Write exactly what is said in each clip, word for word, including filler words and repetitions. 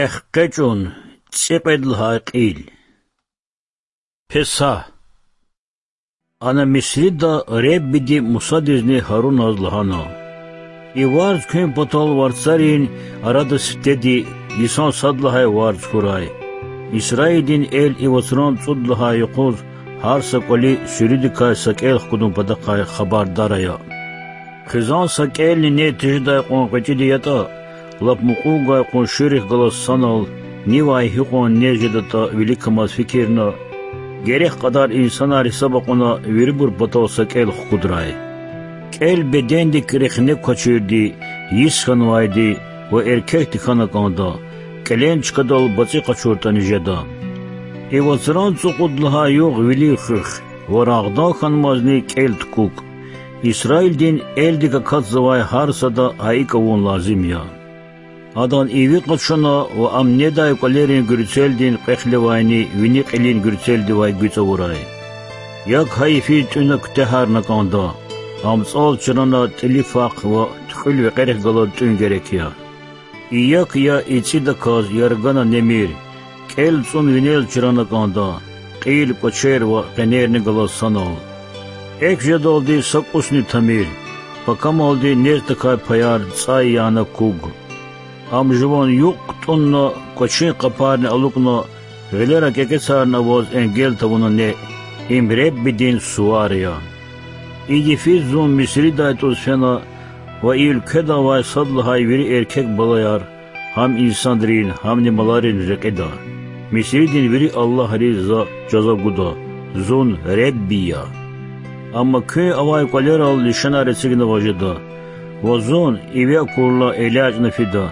Эхкъечӏун. ЦӀикьвед лагьай кьил. Песагь. Ана Мисрида Реббиди Мусадизни Гьаруназ лагьана: И варз куьн патал варцарин арада сифтеди, йисан сад лагьай варз хьурай. Исраилдин эл и вацран цӀуд лагьай юкъуз гьар са кӀвали суьруьдикай са кӀел хкудун патахъай хабардар ая. Хизан са кӀелни нез тежедай кьван гъвечӀиди ятӀа, лап мукьув гвай къуншийрихъ галаз санал, нивай гьикьван нез жедатӀа виликамаз фикирна, герек кьадар инсанар гьисаб акьуна, вирибур патал са кӀел хкудрай. КӀел бедендик рехне квачирди, йис хьанвайди ва эркекди хьана кӀанда, кӀелен чкадал бацӀи къачуртӀани жеда. И вацран цӀукьуд лагьай югъ вилив хуьх ва рагъдан хьанмазни кӀел тукӀукӀ. Исраилдин элдик акатзавай гьар сада гьа икӀ авун лазим я. Адан иви къачуна ва ам недай кӀвалерин гуьрцелдин кьве хлевайни вини кьилин гуьрцелдивай гуьцӀ авурай. Як гьа йифиз тӀуьна куьтягьарна кӀанда, ам цӀал чрана тӀилифахъ ва туькьуьл векьерихъ галаз тӀуьн герек я. И як я ицӀидаказ, яргана немир, кӀел цӀун винел чрана кӀанда, кьил, кӀвачер ва къенерни галаз санал. Экв жедалди са кӀусни тамир, пакамалди нез тахьай паяр цӀай яна куг. Ам жуван юкь кутӀунна, кӀвачин къапарни алукӀна, гъилера кӀекӀецарна аваз энгел тавуна неъ. Им Реббидин сувар я. И йифиз зун Мисридай тӀуз фена ва и уьлкведа авай сад лагьай вири эркек балаяр, гьам инсанрин, гьамни маларин рекьида. Мисридин вири аллагьриз за жаза гуда. Зун Ребби я. Амма куьн авай кӀвалерал лишанар эцигнаваз жеда, ва зун, иви акурла, элячӀна фида.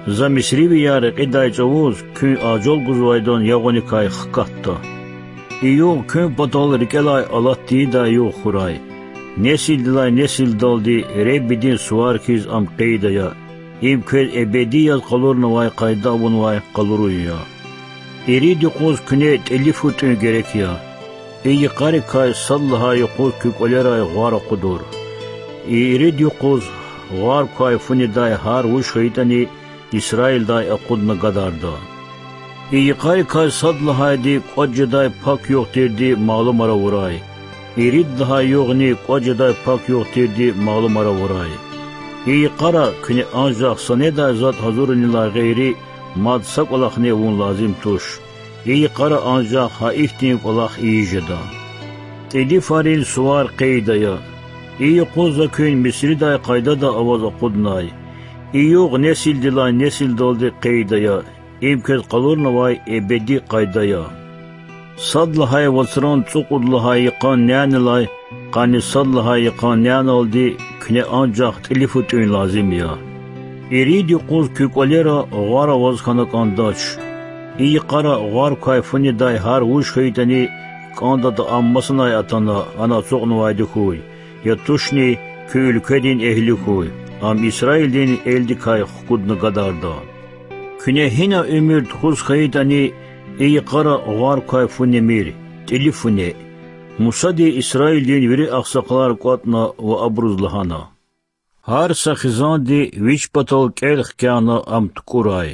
За мисривияр рекьидай чӀавуз куьн ажал гузвайдан ягъуникай хкатда. И югъ куьн патал рикӀелай алат тийидай югъ хьурай. Несилдилай несилдалди Реббидин сувар хьиз ам къейд ая. Им квез эбеди яз къалурнавай къайда авунвай къалурун я. Ирид юкъуз куьне тӀилифу тӀуьн герек я. И йикъарикай сад лагьай юкъуз куь кӀвалерай гъвар акъудур. И ирид юкъуз гъвар квай фу недай гьар вуж хьайитӀани, Исраилдай акъудна гадарда. И йикъарикай сад лагьайди кӀватӀ жедай пак югъ тирди малумар авурай. Ирид лагьай югъни кӀватӀ жедай пак югъ тирди малумар авурай. И йикъара куьне анжах са недай затӀ гьазурунилай гъейри мад са кӀвалахни авун лазим туш. И йикъара анжах гьа ихьтин кӀвалах ийиз жеда. ТӀилифарин сувар къейд ая. И юкъуз за куьн Мисридай къайдада аваз акъуднай. И югъ несилдилай несилдалди къейд ая. Им квез къалурнавай эбеди къайда я. Сад лагьай вацран цӀукьуд лагьай йикъан нянилай къанни сад лагьай йикъан няналди куьне анжах тӀилифу тӀуьн лазим я. Ирид юкъуз куь кӀвалера гъвар аваз хьана кӀандач. И йикъара гъвар квай фу недай гьар вуж хьайитӀани, кӀандатӀа ам масанай атана, ана ацукьнавайди хьуй, я тушни куь уьлкведин эгьли хьуй, ам Исраилдин элдикай хкудна гадарда. Куьне гьина уьмуьр тухуз хьайитӀани, и йикъара гъвар квай фу немир, тӀилифу неъ. Мусади Исраилдин вири агъсакъалар кӀватӀна ва абуруз лагьана: Гьар са хизанди вич патал кӀел хкяна ам тукӀурай,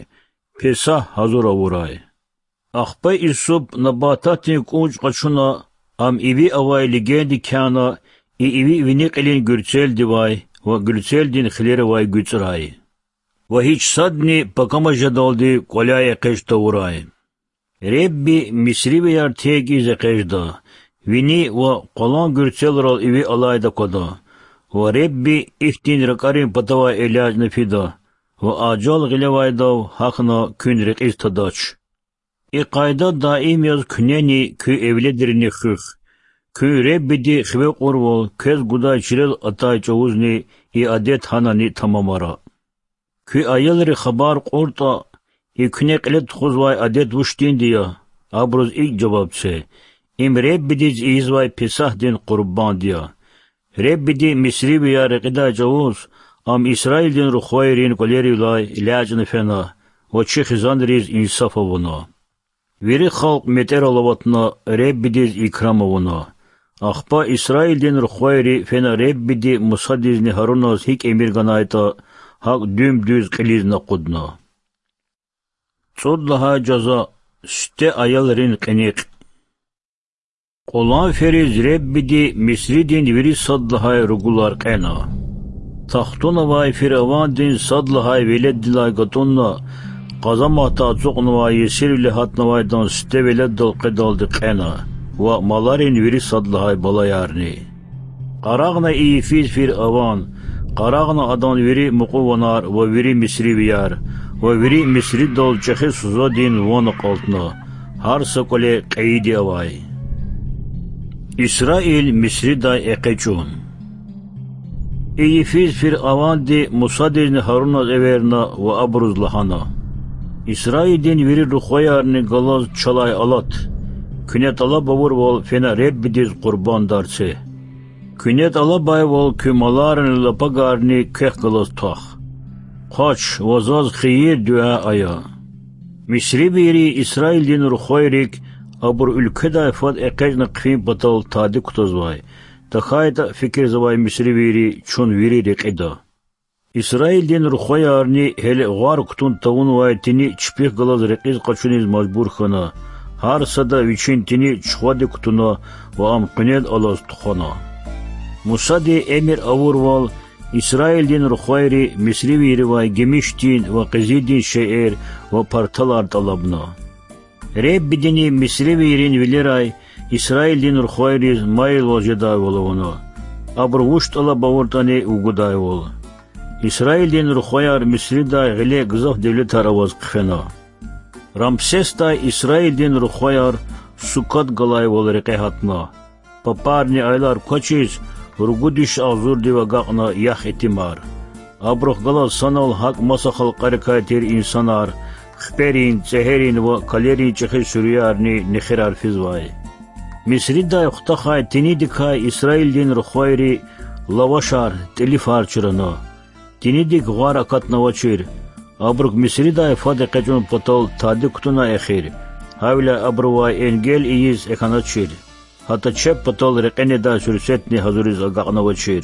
Песагь гьазур авурай. Ахпа Исуп набататдин кӀунчӀ къачуна, ам иви авай легендик кяна, и иви вини кьилин гуьрцелдивай ва гуьрцелдин хилеривай гуьцӀрай. Ва гьич садни пакама жедалди кӀваляй экъечӀ тавурай. Ребби мисривияр терг ийиз экъечӀда, вини ва къвалан гуьрцелрал иви алайди аквада, ва Ребби ихьтин ракӀарин патавай элячӀна фида, ва ажал гъилевайдав гьахьна куьн рекьиз тадач. И къайда даим яз куьнени куь эвледрини хуьх, куьн Реббиди хиве кьурвал квез гудай чилел атай чӀавузни и адет гьанани тамамара. Куь аялри хабар кьуртӀа, и куьне кьиле тухузвай адет вуч тинди я, абуруз икӀ жаваб це: им Реббидиз ийизвай Песагьдин къурбанд я. Реббиди мисривияр рекьидай чӀавуз ам Исраилдин рухвайрин кӀвалерилай элячӀна фена ва чи хизанриз инсаф авуна. Вири халкь метӀерал аватна, Реббидиз икрам авуна. Ахпа Исраилдин рухвайри фена Реббиди Мусадизни Гьаруназ гьикӀ эмир ганайтӀа, гьакӀ дуьм-дуьз кьилизни акъудна. ЦӀуд лагьай жаза. Сифте аялрин кьиникь. Кьулан фериз Худадиз Мисридин вири сад лагьай ругулар кьена. Тахтуна авай фиръавандин сад лагьай веледдилай гатӀунна, къазаматда ацукьнавай, есирвиле гьатнавайдан сифте веледдал къведалди кьена ва маларин вири сад лагьай балаярни. Къарагъна и йифиз фиръаван, къарагъна адан вири мукьуванар ва вири мисривияр, ва вири Мисридал чӀехи сузадин ван акьалтна, гьар са кӀвале кьейиди авай. Исраил Мисридай экъечӀун. И йифиз фиръаванди Мусадизни Гьаруназ эверна ва абуруз лагьана: Исраилдин вири рухваярни галаз чалай алат. Куьне тӀалаб авурвал фена Худадиз къурбандар це. Куьне тӀалабайвал куь маларни лапагарни квехъ галаз твах. Хъвач ва заз хийир-дуьа ая. Мисривийри Исраилдин рухвайрик, абур уьлкведай фад экъечӀна хъфин патал, тади кутазвай, тахьайтӀа фикирзавай мисривийри: чун вири рекьида. Исраилдин рухваярни гьеле гъвар кутун тавунвай тини чпихъ галаз рекьиз къачуниз мажбур хьана, гьар сада вичин тини чухвадик кутуна ва ам къуьнел алаз тухвана. Мусади эмир авурвал, Исраилдин рухвайри мисривийривай гимишдин ва къизилдин шейэр ва парталар тӀалабна. Худадини мисривийрин вилерай Исраилдин рухвайриз майилвал жедайвал авуна, абуру вуч тӀалаб авуртӀани вугудайвал. Исраилдин рухваяр Мисридай гъиле гзаф девлетар аваз хъфена. Рамсесдай Исраилдин рухваяр Суккот галайвал рекье гьатна. Папарни аялар квачиз, ругуд виш агъзурдив агакьна ях-итимар. Абурухъ галаз санал гьакӀ маса халкьарикай тир инсанар, хиперин, цӀегьерин ва калерин чӀехи суьруьярни нехирар физвай. Мисридай хутахай тинидикай Исраилдин рухвайри лавашар, тӀилифар чрана. Тинидик гъвар акатнавачир. Абурук Мисридай фад экъечӀун патал тади кутуна эхир, гьавиляй абурувай энгел ийиз экъечӀначир. ГьатӀа чеб патал рекье недай суьрсетни гьазуриз агакьнавачир.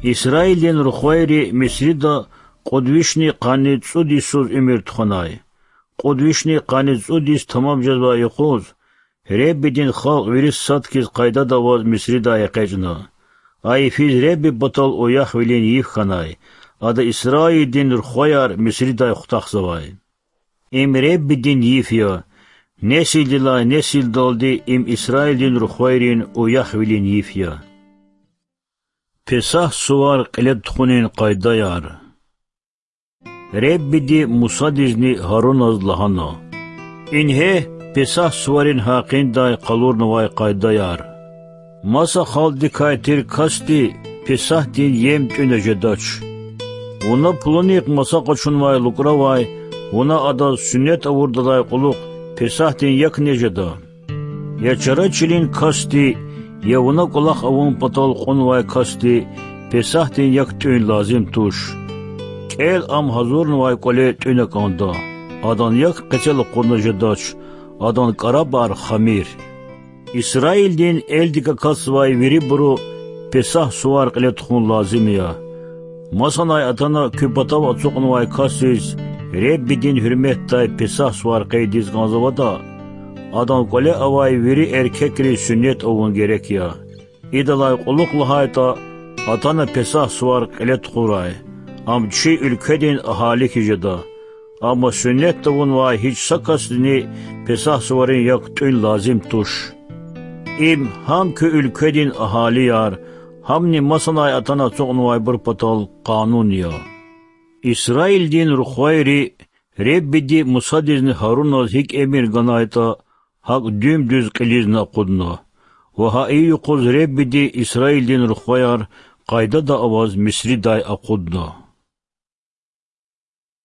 Исраилдин рухвайри Мисрида кьуд вишни къанни цӀуд йисуз уьмуьр тухванай. Кьуд вишни къанни цӀуд йис тамам жезвай юкъуз Худадин халкь вири сад хьиз къайдада аваз Мисридай экъечӀна. А йифиз Худади патал уяхвилин йиф хьанай, ада Исраилдин рухваяр Мисридай хутахзавай. Им Худадин йиф я, несилдилай несилдалди им Исраилдин рухвайрин уяхвилин йиф я. Песагь сувар кьиле тухунин къайдаяр. Худади Мусадизни Гьаруназ лагьана: Ингье Песагь суварин гьакъиндай къалурнавай къайдаяр. Маса халкьдикай тир касди Песагьдин ем тӀуьна жедач. Вуна пулунихъ маса къачунвай лукӀравай, вуна адаз суннет авурдалай кьулухъ Песагьдин як нег жеда? Я чара чилин касди, я вуна кӀвалах авун патал кьунвай касди Песагьдин як тӀуьн лазим туш. КӀел ам гьазурнавай кӀвале тӀуьна кӀанда, адан як къецел акъудна жедач, адан кӀарабар хамир. Исраилдин элдик акатзавай вирибуру Песагь сувар кьиле тухун лазим я. Масанай атана куь патав ацукьнавай касдиз Худади гьуьрметдай Песагь сувар къейдиз кӀанзаватӀа, адан кӀвале авай вири эркекриз суннет авун герек я. Идалай кьулухъ лагьайтӀа, атана Песагь сувар кьиле тухурай, ам чи уьлкведин агьали хьиз жеда. Амма суннет авунвай гьич са касдини Песагь суварин як тӀуьн лазим туш. Им гьам куь уьлкведин агьалияр, гьамни масанай атана ацукьнавайбур патал къанун я. Исраилдин рухвайри, Худади Мусадизни Гьаруназ гьикӀ эмир ганайтӀа, гьакӀ дуьм-дуьз кьилизни акъудна, ва гьа и юкъуз Худади Исраилдин рухваяр къайдада аваз Мисридай акъудна.